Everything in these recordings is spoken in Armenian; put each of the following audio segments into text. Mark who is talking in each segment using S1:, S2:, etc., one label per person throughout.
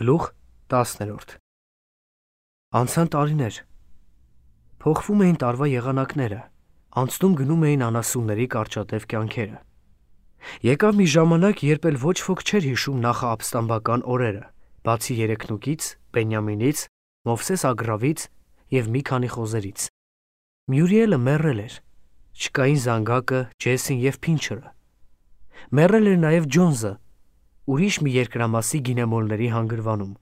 S1: Գլուխ 10. Անցան տարիներ, փոխվում էին տարվա եղանակները, անցնում գնում էին անասունների կարճատև կյանքերը։ Եկավ մի ժամանակ, երբ էլ ոչ ոք չէր հիշում նախաապստամբական օրերը, բացի Երեքնուկից, Բենյամինից, Մովսես Ագրավից և մի քանի խոզերից։ Մյուրիելը մեռել էր, չկային Զանգակը, Ջեսին և Փինչերը։ Մեռել էր նաև Ջոնզը, ուրիշ մի երկրամասի գինեմոլների հանգրվանում։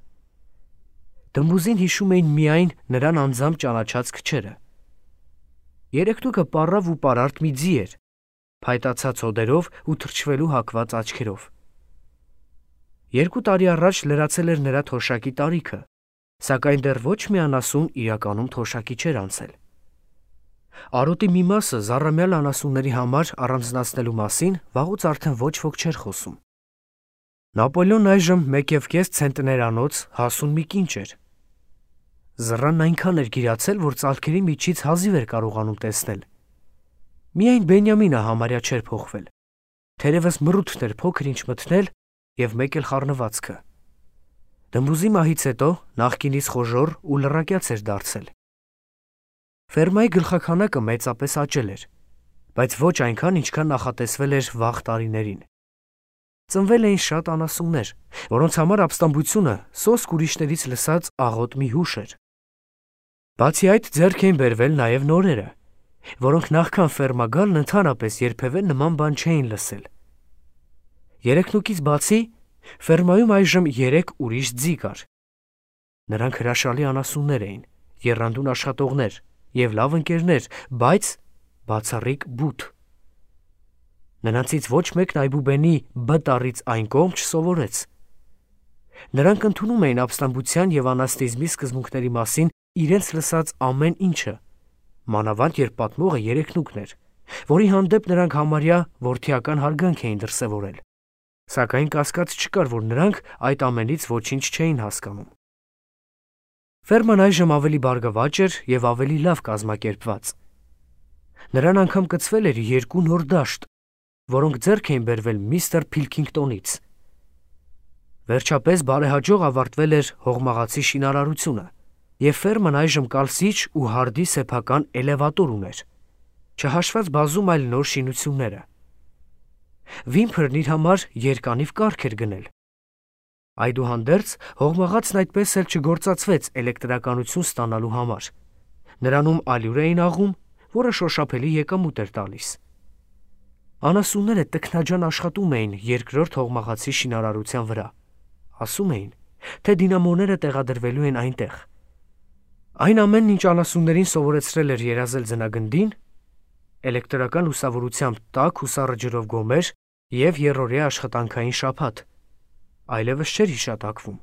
S1: Դմբուզին հիշում էին միայն նրան անձամբ ճանաչած քչերը։ Երեքնուկը պառավ ու պարարտ մի ձի էր, փայտացած հոդերով ու թրջվելու հակված աչքերով։ 2 տարի առաջ լրացել էր նրա թոշակի տարիքը, սակայն դեռ ոչ մի անասուն իրականում թոշակի չէր անցել։ Արոտի մի մասը զառամյալ անասունների համար առանձնացնելու մասին վաղուց արդեն ոչ ոք չէր խոսում։ Նապոլեոնն այժմ 1,5 ցենտներանոց հասուն մի կինչ էր։ Զռանն այնքան էր գիրացել, որ ծալքերի միջից հազիվ էր կարողանում տեսնել։ Միայն Բենյամինը համարյա չէր փոխվել, թերևս մռութն էր փոքր-ինչ մթնել և մեկ էլ խառնվածքը։ Դմբուզի մահից հետո նախկինից խոժոռ ու լռակյաց էր դարձել։ Ֆերմայի գլխաքանակը մեծապես աճել էր, բայց ոչ այնքան, ինչքան նախատեսվել էր վաղ տարիներին։ Ծնվել էին շատ անասուններ, որոնց համար ապստամբությունը սոսկ ուրիշներից լսած աղոտ մի հուշ էր։ Բացի այդ, ձեռք էին բերվել նաև նորերը, որոնք նախքան ֆերմա գալն ընդհանրապես երբևէ նման բան չէին լսել։ Երեքնուկից բացի, ֆերմայում այժմ 3 ուրիշ ձի կար։ Նրանք հրաշալի անասուններ էին, եռանդուն աշխատողներ և լավ ընկերներ, բայց բացառիկ բութ։ Նրանցից ոչ մեկն Այբուբենի «Բ» տառից այն կողմ չսովորեց։ Նրանք ընդունում էին ապստամբության և անաստիզմի սկզբունքների մասին իրենց լսած ամեն ինչը, մանավանդ երբ պատմողը Երեքնուկն էր, որի հանդեպ նրանք համարյա որդիական հարգանք էին դրսևորել, սակայն կասկած չկար, որ նրանք այդ ամենից ոչինչ չէին հասկանում։ Ֆերման այժմ ավելի բարգավաճ էր և ավելի լավ կազմակերպված։ Նրան անգամ կցվել էր 2 նոր դաշտ, որոնք ձեռք էին բերվել միստր Փիլքինգտոնից։ Վերջապես բարեհաջող ավարտվել էր հողմաղացի շինարարությունը, և ֆերման այժմ կալսիչ ու հարդի սեփական էլևատոր ուներ, չհաշված բազում այլ նոր շինությունները։ Վիմփրն իր համար երկանիվ կառք էր գնել։ Այդուհանդերձ, հողմաղացն այդպես էլ չգործածվեց էլեկտրականություն ստանալու համար։ Նրանում ալյուր էին աղում, որը շոշափելի եկամուտ էր տալիս։ Անասունները տքնաջան աշխատում էին երկրորդ հողմաղացի շինարարության վրա։ Ասում էին, թե դինամոները տեղադրվելու են այնտեղ։ Այն ամենն, ինչ անասուններին սովորեցրել էր երազել ձնագնդին, էլեկտրական լուսավորությամբ տաք ու սառը ջրով գոմեր և եռօրյա աշխատանքային շաբաթ, այլևս չէր հիշատակվում։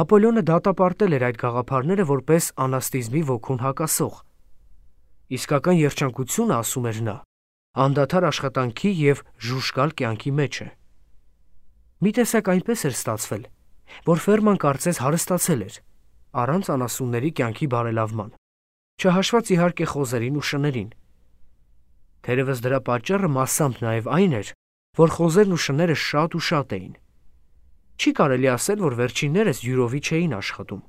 S1: Նապոլեոնը դատապարտել էր այդ գաղափարները որպես անաստիզմի ոգուն հակասող։ Իսկական երջանկությունը, ասում էր նա, անդադար աշխատանքի և ժուժկալ կյանքի մեջ է։ Մի տեսակ այնպես էր ստացվել, որ ֆերման կարծես հարստացել էր, առանց անասունների կյանքի բարելավման, չհաշված իհարկե խոզերին ու շներին։ Թերևս դրա պատճառը մասամբ նաև այն էր, որ խոզերն ու շները շատ էին։ Չի կարելի ասել, որ վերջիններս յուրովի չէին աշխատում։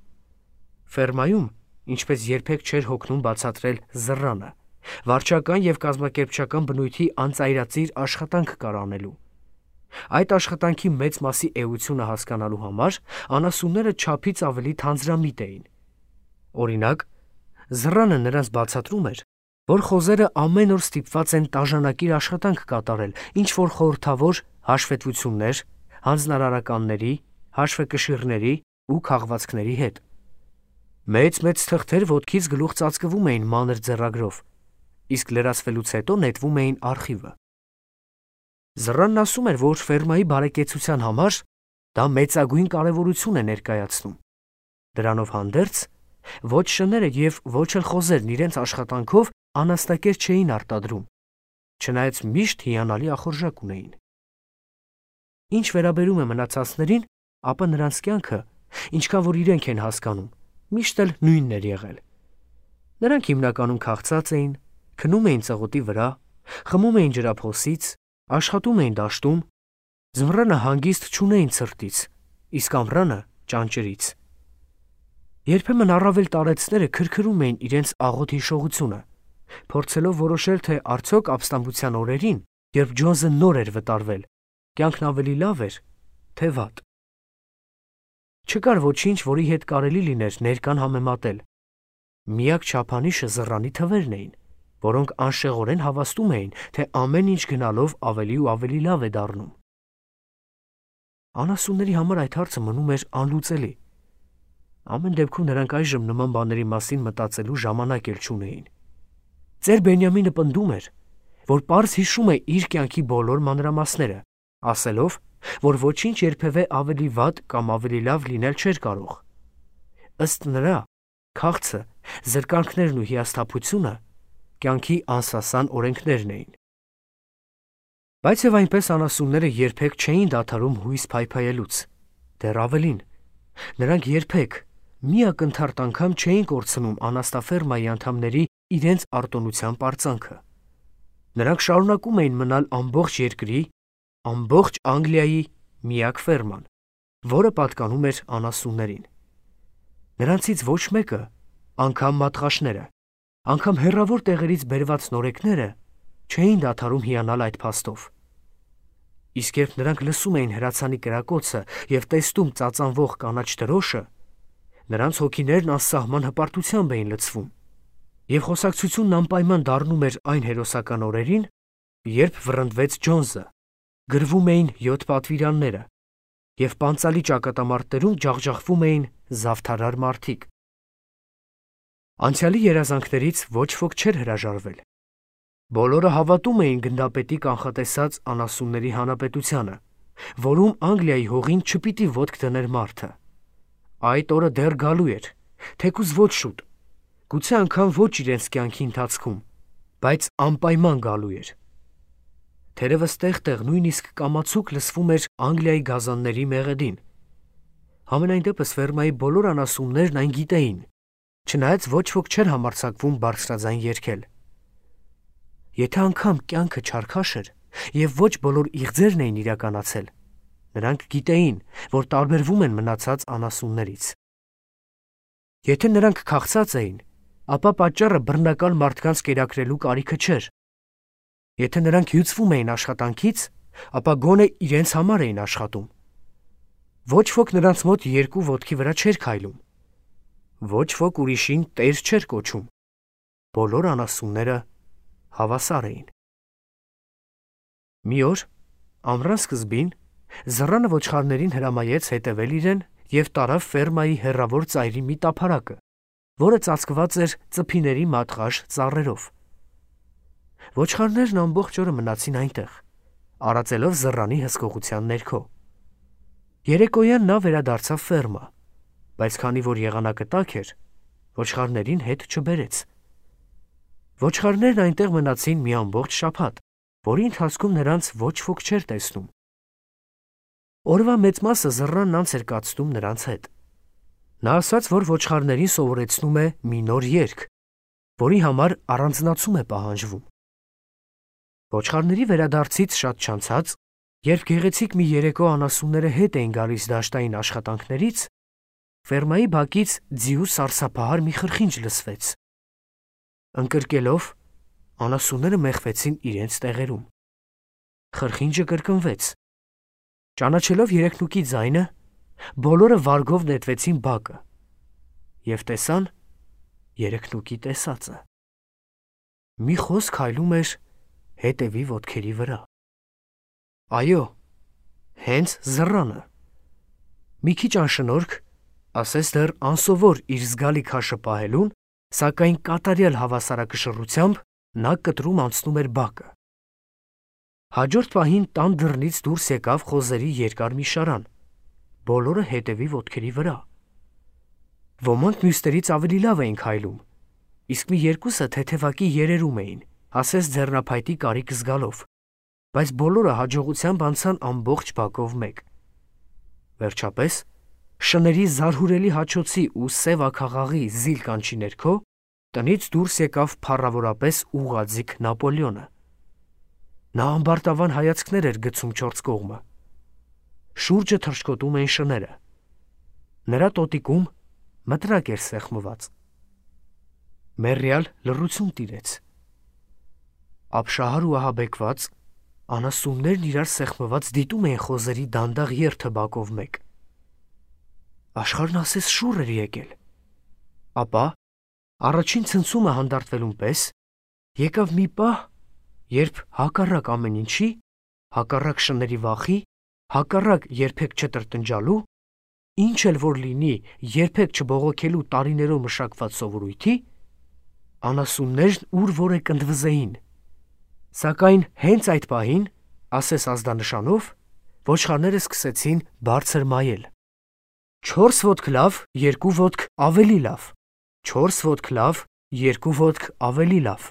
S1: Ֆերմայում, ինչպես երբեք չէր հոգնում բացատրել Զռանը, վարչական և կազմակերպչական բնույթի անծայրածիր աշխատանք կար անելու։ Այդ աշխատանքի մեծ մասի էությունը հասկանալու համար անասունները չափից ավելի թանձրամիտ էին։ Օրինակ, Զռանը նրանց բացատրում էր, որ խոզերը ամեն օր ստիպված են տաժանակիր աշխատանք կատարել ինչ-որ խորհրդավոր հաշվետվություններ, հանձնարարականների, հաշվեկշիռների ու քաղվածքների հետ։ Մեծ թղթեր ոտքից գլուխ ծածկվում էին մանր ձեռագրով, իսկ լրացվելուց հետո նետվում էին արխիվը։ Զռանն ասում էր, որ ֆերմայի բարեկեցության համար դա մեծագույն կարևորություն է ներկայացնում։ Դրանով հանդերձ, ոչ շները և ոչ էլ խոզերն իրենց աշխատանքով անաստակեր չէին արտադրում, չնայած միշտ հիանալի ախորժակ ունեին։ Ինչ վերաբերում է մնացածներին, ապա նրանց կյանքը, ինչքան որ իրենք են հասկանում, միշտ էլ նույնն էր եղել։ Նրանք հիմնականում քաղցած էին, քնում էին ծղոտի վրա, խմում էին ջրափոսից, աշխատում էին դաշտում, ձմռանը հանգիստ չունեին ցրտից, իսկ ամռանը ճանճրից։ Երբեմն առավել տարեցները քրքրում էին իրենց աղոտ հիշողությունը, փորձելով որոշել, թե արդյոք ապստամբության օրերին, երբ Ջոնսը նոր էր վտարվել, կյանքն ավելի լավ էր, թե վատ։ Չկար ոչինչ, որի հետ կարելի լիներ ներկան համեմատել։ Միակ չափանիշը զռանի թվերն էին, որոնք անշեղորեն հավաստում էին, թե ամեն ինչ գնալով ավելի ու ավելի լավ է դառնում։ Անասունների համար այդ հարցը մնում էր անլուծելի։ Ամեն դեպքում նրանք այժմ նման բաների մասին մտածելու ժամանակ էլ չունեին։ Ծեր Բենյամինը պնդում էր, որ պարզ հիշում է իր կյանքի բոլոր մանրամասները, ասելով, որ ոչինչ երբևէ ավելի վատ կամ ավելի լավ լինել չէր կարող։ Ըստ նրա, քաղցը, զրկանքներն ու հիասթափությունը կյանքի անսասան օրենքներն էին։ Բայց եւ այնպես անասունները երբեք չէին դադարում հույս փայփայելուց։ Դեռ ավելին, նրանք երբեք մի ակնթարթ անգամ չէին կորցնում անաստաֆերմայի անդամների իրենց արտոնության պարծանքը։ Նրանք շարունակում էին մնալ ամբողջ երկրի, ամբողջ Անգլիայի միակ ֆերման, որը պատկանում էր անասուններին։ Նրանցից ոչ մեկը, անգամ մատղաշները, անգամ հեռավոր տեղերից բերված նորեկները չէին դադարում հիանալ այդ փաստով։ Իսկ երբ նրանք լսում էին հրացանի կրակոցը եւ տեսնում ծածանվող կանաչ դրոշը, նրանց հոգիներն անսահման հպարտությամբ էին լցվում, եւ խոսակցությունն անպայման դառնում էր այն հերոսական օրերին, երբ վռնդվեց Ջոնսը, գրվում էին 7 պատվիրանները, եւ պանծալի ճակատամարտերում ջախջախվում էին զավթարար մարդիկ։ Անցյալի երազանքներից ոչ ոք չէր հրաժարվել։ Բոլորը հավատում էին գնդապետի կանխատեսած անասունների հանրապետությանը, որում Անգլիայի հողին չպիտի ոտք դներ մարդը։ Այդ օրը դեռ գալու էր, թեկուզ ոչ շուտ, գուցե անգամ ոչ իրենց կյանքի ընթացքում, բայց անպայման գալու էր։ Թերևս տեղ-տեղ նույնիսկ կամացուկ լսվում էր Անգլիայի գազանների մեղեդին։ Համենայն դեպս ֆերմայի բոլոր անասուններն այն գիտեին, չնայած ոչ ոք չէր համարձակվում բարձրաձայն երգել։ Եթե անգամ կյանքը չարքաշ էր եւ ոչ բոլոր իղձերն էին իրականացել, նրանք գիտեին, որ տարբերվում են մնացած անասուններից։ Եթե նրանք քաղցած էին, ապա պատճառը բռնակալ մարդկանց կերակրելու կարիքը չէր։ Եթե նրանք հյուծվում էին աշխատանքից, ապա գոնե իրենց համար էին աշխատում։ Ոչ ոք նրանց մոտ երկու ոտքի վրա չէր քայլում։ Ոչ ոք ուրիշին տեր չէր կոչում։ Բոլոր անասունները հավասար էին։ Մի օր, ամռան սկզբին, զռանը ոչխարներին հրամայեց հետևել իրեն եւ տարավ ֆերմայի հեռավոր ծայրի մի տափարակը, որը ծածկված էր ծփիների մատղաշ ծառերով։ Ոչխարներն ամբողջ օրը մնացին այնտեղ, արածելով զռանի հսկողության ներքո։ Երեկոյան նա վերադարձավ ֆերմա, բայց քանի որ եղանակը տաք էր, ոչխարներին հետ չբերեց։ Ոչխարներն այնտեղ մնացին մի ամբողջ շաբաթ, որի ընթացքում նրանց ոչ ոք չէր տեսնում։ Օրվա մեծ մասը զռանն անց էր կացնում նրանց հետ։ Նա ասաց, որ ոչխարներին սովորեցնում է մի նոր երգ, որի համար առանձնացում է պահանջվում։ Ոչխարների վերադարձից շատ չանցած, երբ գեղեցիկ մի երեկո անասունները հետ էին գալիս դաշտային աշխատանքներից, ֆերմայի բակից ձիու սարսափահար մի խրխինջ լսվեց։ Ընկրկելով, անասունները մեխվեցին իրենց տեղերում։ Խրխինջը կրկնվեց։ Ճանաչելով երեքնուկի ձայնը, բոլորը վարգով նետվեցին բակը եւ տեսան երեքնուկի տեսածը։ Մի խոսք հայլում էր հետևի ոտքերի վրա։ Այո, հենց զռանը։ Մի քիչ անշնորհք, ասես դեռ անսովոր իր զգալի քաշը պահելուն, սակայն կատարյալ հավասարակշռությամբ նա կտրում անցնում էր բակը։ Հաջորդ պահին տան դռնից դուրս եկավ խոզերի երկար մի շարան, բոլորը հետևի ոտքերի վրա։ Ոմանք մյուսներից ավելի լավ էին քայլում, իսկ մի երկուսը թեթևակի երերում էին, ասես ձեռնափայտի կարիք զգալով, բայց բոլորը հաջողությամբ անցան ամբողջ բակով մեկ։ Վերջապես, շների զարհուրելի հաչոցի ու սև աքաղաղի զիլ կանչի ներքո, տնից դուրս եկավ փառավորապես ուղղաձիգ Նապոլեոնը։ Նա ամբարտավան հայացքներ էր գցում չորս կողմը։ Շուրջը թռչկոտում էին շները։ Նրա տոտիկում մտրակ էր սեղմված։ Մեռյալ լռություն տիրեց։ Ապշահար ու ահաբեկված անասուններն իրար սեղմված դիտում էին խոզերի դանդաղ երթը բակով մեկ։ Աշխարհն ասես շուռ էր եկել։ Ապա առաջին ցնցումը հանդարտվելուն պես եկավ մի պահ, երբ հակառակ ամեն ինչի, հակառակ շների վախի, հակառակ երբեք չտրտնջալու, ինչ էլ որ լինի, երբեք չբողոքելու տարիներով մշակված սովորույթի, անասուններն ուր որ է կնդվզեին։ Սակայն հենց այդ պահին, ասես ազդանշանով, ոչխարները սկսեցին բարձր մայել։ 4 ոտք լավ, 2 ոտք ավելի լավ, 4 ոտք լավ, 2 ոտք ավելի լավ,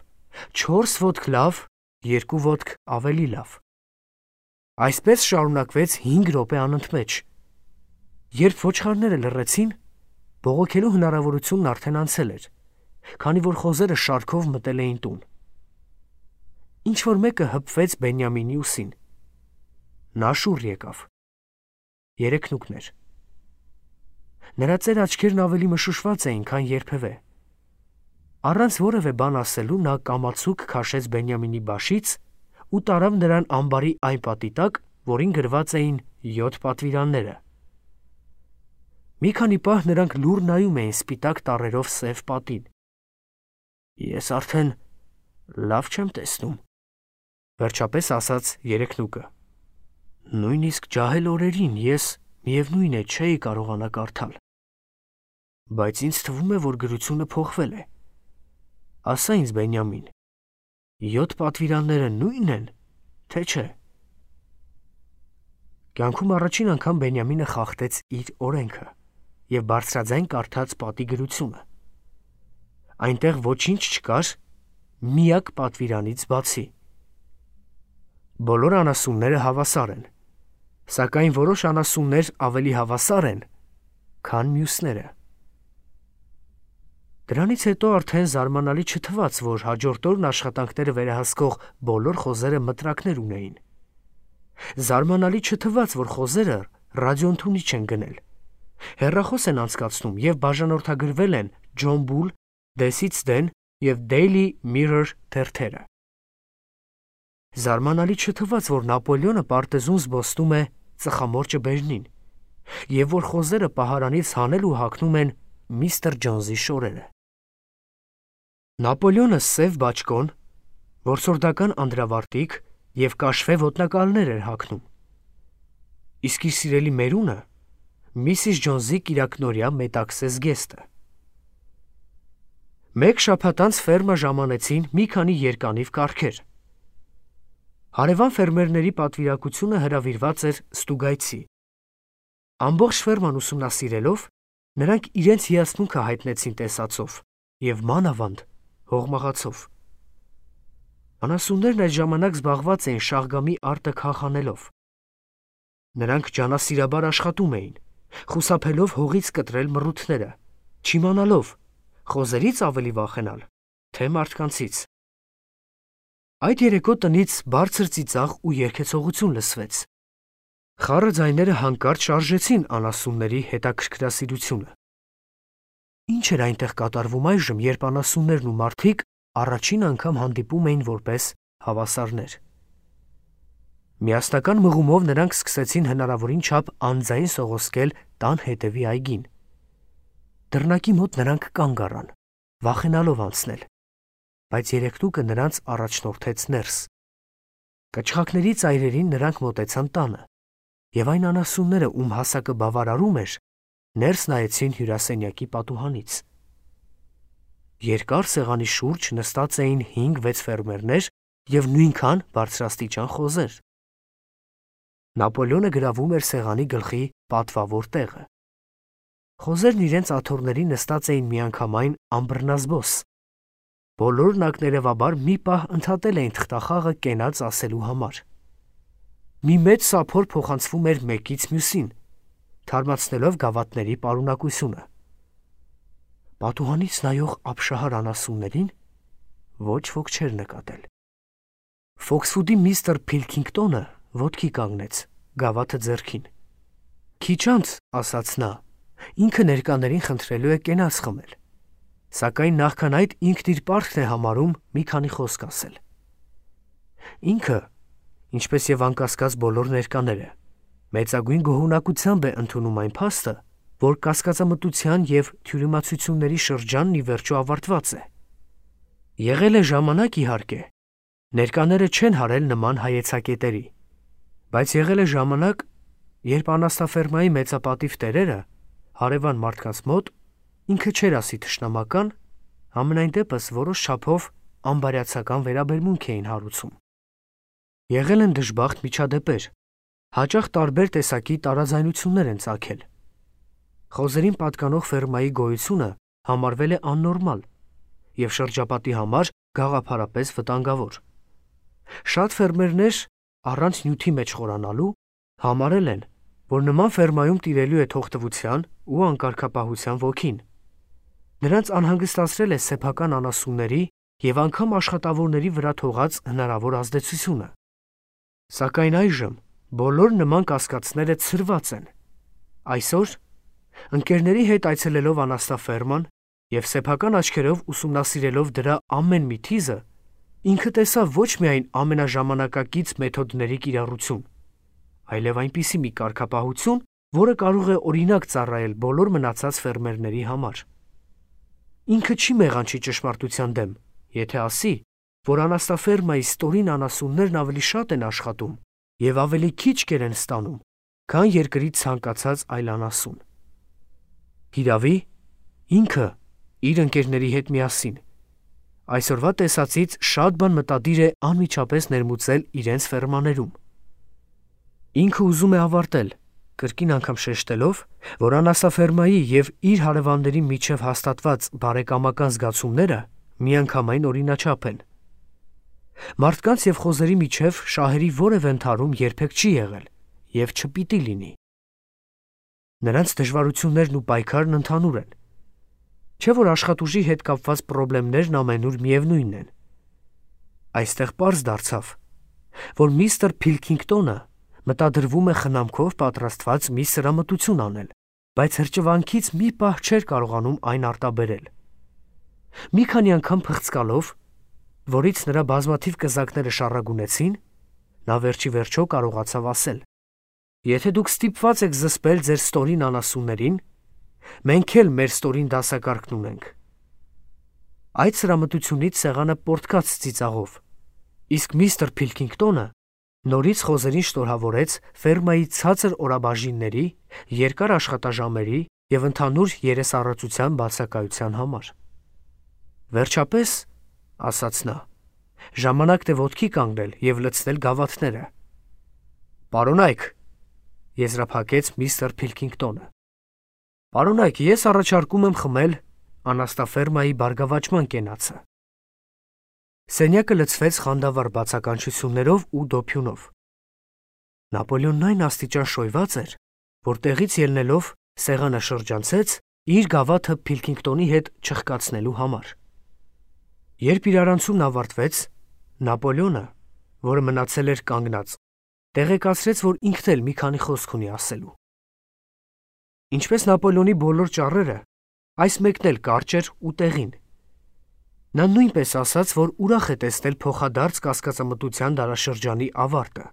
S1: 4 ոտք լավ, 2 ոտք ավելի լավ։ Այսպես շարունակվեց 5 րոպե անընդմեջ։ Երբ ոչխարները լռեցին, բողոքելու հնարավորությունն արդեն անցել էր, քանի որ խոզերը շարքով մտել էին տուն։ Ինչ-որ մեկը հպվեց Բենյամինի ուսին։ Նա շուռ եկավ։ Երեքնուկներ։ Նրա ծեր աչքերն ավելի մշուշված էին, քան երբևէ։ Առանց որևէ բան ասելու նա կամացուկ քաշեց Բենյամինի բաշից ու տարավ նրան ամբարի այն պատի տակ, որին գրված էին 7 պատվիրանները։ Մի քանի պահ նրանք լուռ նայում էին սպիտակ տառերով սև պատին։ Ես արդեն լավ չեմ տեսնում, վերջապես ասաց երեքնուկը։ Նույնիսկ ջահել օրերին ես միևնույն է չէի կարողանա կարդալ։ Բայց ինձ թվում է, որ գրությունը փոխվել է։ Ասա ինձ, Բենյամին, 7 պատվիրանները նույնն են, թե չէ։ Կյանքում առաջին անգամ Բենյամինը խախտեց իր օրենքը և բարձրաձայն կարդաց պատի գրությունը։ Այնտեղ ոչինչ չկար միակ պատվիրանից բացի։ Բոլոր անասունները հավասար են, սակայն որոշ անասուններ ավելի հավասար են, քան մյուսները։ Դրանից հետո արդեն զարմանալի չթվաց, որ հաջորդ օրն աշխատանքները վերահսկող բոլոր խոզերը մտրակներ ունեին։ Զարմանալի չթվաց, որ խոզերը ռադիոընդունիչ են գնել, հեռախոս են անցկացնում և բաժանորդագրվել են John Bull, Դեսից Դեն և Daily Mirror թերթերը։ Զարմանալի չթվաց, որ Նապոլեոնը պարտեզում զբոսնում է ծխամորճը բերնին, և որ խոզերը պահարանից հանել ու հագնում են Միսթր Ջոնսի շորերը։ Նապոլեոնը սև բաճկոն, որսորդական անդրավարտիք և կաշվե ոտնակալներ էր հագնում, իսկ իր սիրելի մերունը Միսիս Ջոնսի կիրակնօրյա մետաքսե զգեստը։ Մեկ շաբաթ անց ֆերմա ժամանեցին մի քանի երկանիվ կառքեր։ Հարևան ֆերմերների պատվիրակությունը հրավիրված էր ստուգայցի։ Ամբողջ ֆերման ուսումնասիրելով, նրանք իրենց հիացմունքը հայտնեցին տեսածով և մանավանդ հողմաղացով։ Անասուններն այդ ժամանակ զբաղված էին շաղգամի արտը քաղանելով։ Նրանք ջանասիրաբար աշխատում էին, խուսափելով հողից կտրել մռութները, չիմանալով խոզերից ավելի վախենալ, թե մարդկանցից։ Այդ երեկո տնից բարձր ծիծաղ ու երգեցողություն լսվեց։ Խառը ձայները հանկարծ շարժեցին անասունների հետաքրքրասիրությունը։ Ինչ էր այնտեղ կատարվում այժմ, երբ անասուններն ու մարդիկ առաջին անգամ հանդիպում էին որպես հավասարներ։ Միասնական մղումով նրանք սկսեցին հնարավորին չափ անձայն սողոսկել տան հետևի այգին։ Դռնակի մոտ նրանք կանգ առան, վախենալով անցնել, բայց երեքնուկը նրանց առաջնորդեց ներս։ Կչխակների ծայրերին նրանք մոտեցան տանը, և այն անասունները, ում հասակը բավարարում էր, ներս նայեցին հյուրասենյակի պատուհանից։ Երկար սեղանի շուրջ նստած էին 5-6 ֆերմերներ և նույնքան բարձրաստիճան խոզեր։ Նապոլեոնը գրավում էր սեղանի գլխի պատվավոր տեղը։ Խոզերն իրենց աթոռների նստած էին միանգամայն անբռնազբոս։ Բոլորն ակներևաբար մի պահ ընդհատել էին թղթախաղը կենաց ասելու համար։ Մի մեծ սափոր փոխանցվում էր մեկից մյուսին, թարմացնելով գավաթների պարունակությունը։ Պատուհանից նայող ապշահար անասուններին ոչ ոք չէր նկատել։ Ֆոքսվուդի միստր Փիլքինգտոնը ոտքի կանգնեց, գավաթը ձեռքին։ Քիչ անց, ասաց նա, ինքը ներկաներին խնդրելու է կենաց խմել, սակայն նախքան այդ ինքն իր պարտքն է համարում մի քանի խոսք ասել։ Ինքը, ինչպես եւ անկասկած բոլոր ներկաները, մեծագույն գոհունակությամբ է ընդունում այն փաստը, որ կասկածամտության եւ թյուրիմացությունների շրջանն ի վերջո ավարտված է։ Եղել է ժամանակ, իհարկե, ներկաները չեն հարել նման հայեցակետերի, բայց եղել է ժամանակ, երբ անաստաֆերմայի մեծապատիվ տերերը հարևան մարդկանց մոտ ինքը չէր ասի թշնամական, համենայն դեպս որոշ չափով անբարյացակամ վերաբերմունք էին հարուցում։ Եղել են դժբախտ միջադեպեր, հաճախ տարբեր տեսակի տարաձայնություններ են ծագել։ Խոզերին պատկանող ֆերմայի գոյությունը համարվել է աննորմալ եւ շրջապատի համար գաղափարապես վտանգավոր։ Շատ ֆերմերներ, առանց նյութի մեջ խորանալու, համարել են, որ նման ֆերմայում տիրելու է թողտվության ու անկարգապահության ոգին։ Նրանց անհանգստացրել է սեփական անասունների եւ անգամ աշխատավորների վրա թողած հնարավոր ազդեցությունը։ Սակայն այժմ բոլոր նման կասկածները ցրված են։ Այսօր, ընկերների հետ այցելելով անաստաֆերման եւ սեփական աչքերով ուսումնասիրելով դրա ամեն մի թիզը, ինքը տեսավ ոչ միայն ամենաժամանակակից մեթոդների կիրառություն, այլև այնպիսի մի կարգապահություն, որը կարող է օրինակ ծառայել բոլոր մնացած ֆերմերների համար։ Ինքը չի մեղանչի ճշմարտության դեմ, եթե ասի, որ անաստաֆերմայի ստորին անասուններն ավելի շատ են աշխատում եւ ավելի քիչ կեր են ստանում, քան երկրի ցանկացած այլ անասուն։ Հիրավի, ինքը իր ընկերների հետ միասին այսօրվա տեսածից շատ բան մտադիր է անմիջապես ներմուծել իրենց ֆերմաներում։ Ինքը ուզում է ավարտել, կրկին անգամ շեշտելով, որ անաստաֆերմայի եւ իր հարևանների միջև հաստատված բարեկամական զգացումները միանգամայն օրինաչափ են։ Մարդկանց եւ խոզերի միջև շահերի որևէ ընդհարում երբեք չի եղել եւ չպիտի լինի։ Նրանց դժվարություններն ու պայքարն ընդհանուր են։ Չէ՞ որ աշխատուժի հետ կապված խնդիրներն ամենուր միևնույնն են։ Այստեղ պարզ դարձավ, որ միստր Փիլքինգտոնը մտադրվում է խնամքով պատրաստված մի սրամտություն անել, բայց հրճվանքից մի պահ չէր կարողանում այն արտաբերել։ Մի քանի անգամ փղծկալով, որից նրա բազմաթիվ կզակները շառագունեցին, նա վերջի վերջո կարողացավ ասել. «Եթե դուք ստիպված եք զսպել ձեր ստորին անասուններին, մենք էլ մեր ստորին դասակարգն ունենք»։ Այդ սրամտությունից սեղանը պոռթկաց ծիծաղով, իսկ միստր Փիլքինգտոնը նորից խոզերին շնորհավորեց ֆերմայի ցածր օրաբաժինների, երկար աշխատաժամերի եւ ընդհանուր երեսառածության բացակայության համար։ Վերջապես, ասաց նա, ժամանակն է ոտքի կանգնել եւ լցնել գավաթները։ Պարոնայք, եզրափակեց միստր Փիլքինգտոնը։ Պարոնայք, ես առաջարկում եմ խմել անաստաֆերմայի բարգավաճման կենացը։ Սենյակը լցվեց խանդավառ բացականչություններով ու դոփյունով։ Նապոլեոնն այն աստիճան շոյված էր, որ տեղից ելնելով սեղանը շրջանցեց իր գավաթը Փիլքինգտոնի հետ չխկացնելու համար։ Երբ իրարանցումն ավարտվեց, Նապոլեոնը, որը մնացել էր կանգնած, տեղեկացրեց, որ ինքն էլ մի քանի խոսք ունի ասելու։ Ինչպես Նապոլեոնի բոլոր ճառերը, այս մեկն էլ կարճ էր ու տեղին։ Նա նույնպես ասաց, որ ուրախ է տեսնել փոխադարձ կասկածամտության դարաշրջանի ավարտը։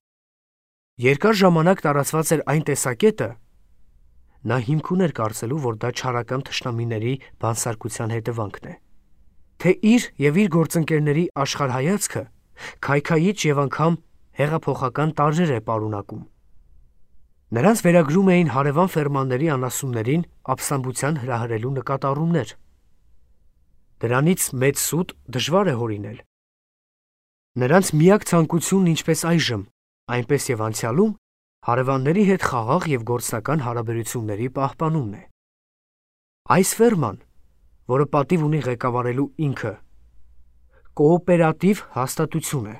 S1: Երկար ժամանակ տարածված էր այն տեսակետը, նա հիմք ուներ կարծելու, որ դա չարական թշնամիների բանսարկության հետևանքն է, թե իր եւ իր գործընկերների աշխարհայացքը քայքայիչ եւ անգամ հեղափոխական տարրեր է պարունակում։ Նրանց վերագրում էին հարևան ֆերմանների անասուններին ապստամբության հրահրելու նկատառումներ։ Դրանից մեծ սուտ դժվար է հորինել։ Նրանց միակ ցանկությունն ինչպես այժմ, այնպես եւ անցյալում հարևանների հետ խաղաղ եւ գործնական հարաբերությունների պահպանումն է։ Այս ֆերման, որը պատիվ ունի ղեկավարելու ինքը, կոոպերատիվ հաստատություն է։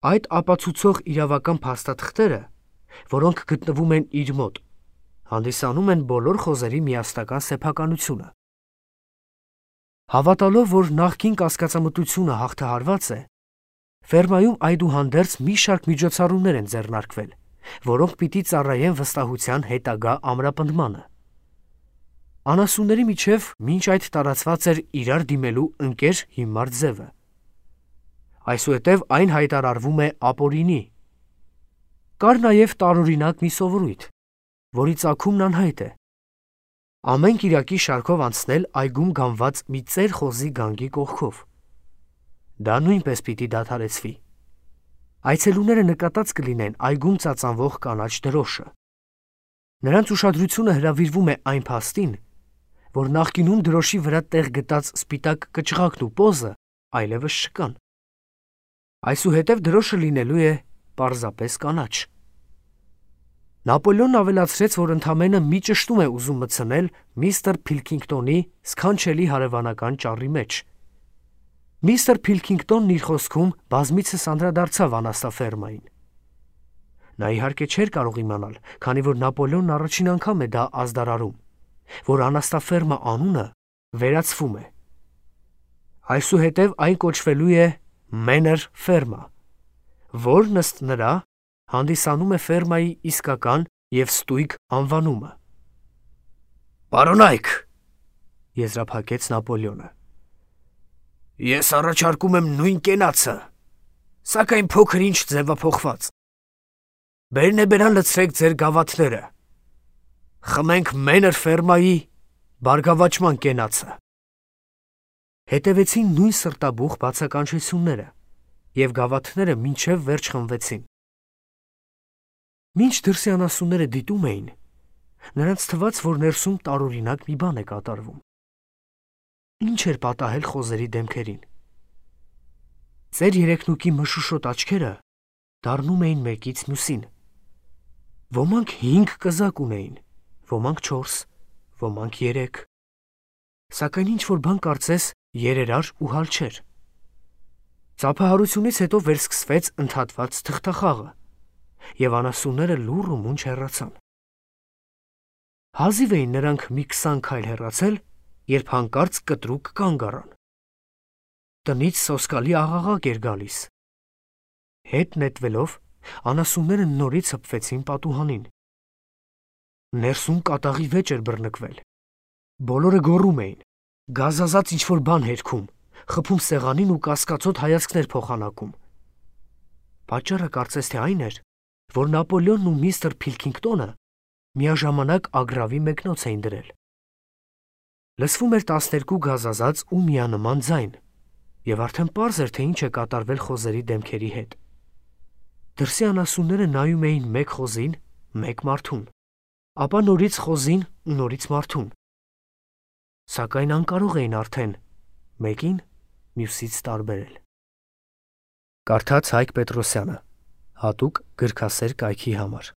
S1: Այդ ապացուցող իրավական փաստաթղթերը, որոնք գտնվում են իր մոտ, հանդիսանում են բոլոր խոզերի միասնական սեփականությունը։ Հավատալով, որ նախկին կասկածամտությունը հաղթահարված է, ֆերմայում այդուհանդերձ մի շարք միջոցառումներ են ձեռնարկվել, որոնք պիտի ծառայեն վստահության հետագա ամրապնդմանը։ Անասունների միջև մինչ այդ տարածված էր իրար դիմելու ընկեր հիմար ձևը։ Այսուհետև այն հայտարարվում է ապօրինի։ Կար նաև տարօրինակ մի սովորույթ, որի ծագումն անհայտ է։ Ամեն կիրակի շարքով անցնել այգում գանված մի ծեր խոզի գանգի կողքով։ Դա նույնպես պիտի դադարեցվի։ Այցելուները նկատած կլինեն այգում ծածանվող կանաչ դրոշը։ Նրանց ուշադրությունը հրավիրվում է այն փաստին, որ նախկինում դրոշի վրա տեղ գտած սպիտակ կճղակն ու պոզը այլևս չկան։ Այսուհետև դրոշը լինելու է պարզապես կանաչ։ Նապոլեոնն ավելացրեց, որ ընդամենը մի ճշտում է ուզում մտցնել միստր Փիլքինգտոնի սքանչելի հարևանական ճառի մեջ։ Միստր Փիլքինգտոնն իր խոսքում բազմիցս անդրադարձավ անաստաֆերմային։ Նա իհարկե չէր կարող իմանալ, քանի որ Նապոլեոնն առաջին անգամ է դա ազդարարում, որ անաստաֆերմա անունը վերացվում է։ Այսուհետև այն կոչվելու է Մեներ ֆերմա, որն ըստ նրա հանդիսանում է ֆերմայի իսկական և ստույգ անվանումը։ «Պարոնայք», եզրափակեց Նապոլեոնը, «ես առաջարկում եմ նույն կենացը, սակայն փոքր-ինչ ձևափոխված։ Բերնեբերան լցրեք ձեր գավաթները, խմենք Մեներ ֆերմայի բարգավաճման կենացը»։ Հետևեցին նույն սրտաբուխ բացականչությունները, և գավաթները մինչև վերջ խմվեցին։ Մինչ դրսի անասունները դիտում էին, նրանց թվաց, որ ներսում տարօրինակ մի բան է կատարվում։ Ինչ էր պատահել խոզերի դեմքերին։ Ծեր երեքնուկի մշուշոտ աչքերը դառնում էին մեկից մյուսին։ Ոմանք 5 կզակ ունեին, ոմանք 4, ոմանք 3, սակայն ինչ-որ բան կարծես երերար ու հալ չէր։ Ծափահարությունից հետո վերսկսվեց ընդհատված թղթախաղը, և անասունները լուռ ու մունջ հեռացան։ Հազիվ էին նրանք մի 20 քայլ հեռացել, երբ հանկարծ կտրուկ կանգ առան։ Տնից սոսկալի աղաղակ էր գալիս։ Հետ նետվելով, անասունները նորից հպվեցին պատուհանին։ Ներսում կատաղի վեճ էր բռնկվել։ Բոլորը գոռում էին, գազազած ինչ-որ բան հերքում, խփում սեղանին ու կասկածոտ հայացքներ փոխանակում։ Պատճառը կարծես թե այն էր, որ Նապոլեոնն ու միստր Փիլքինգտոնը միաժամանակ ագրավի մեկնոց էին դրել։ Լսվում էր 12 գազազած ու միանման ձայն, և արդեն պարզ էր, թե ինչ է կատարվել խոզերի դեմքերի հետ։ Դրսի անասունները նայում էին մեկ խոզին, մեկ մարդուն, ապա նորից խոզին ու նորից մարդուն, սակայն անկարող էին արդեն մեկին մյուսից տարբերել։ Կարդաց Հայկ Պետրոսյանը, հատուկ գրքասեր կայքի համար։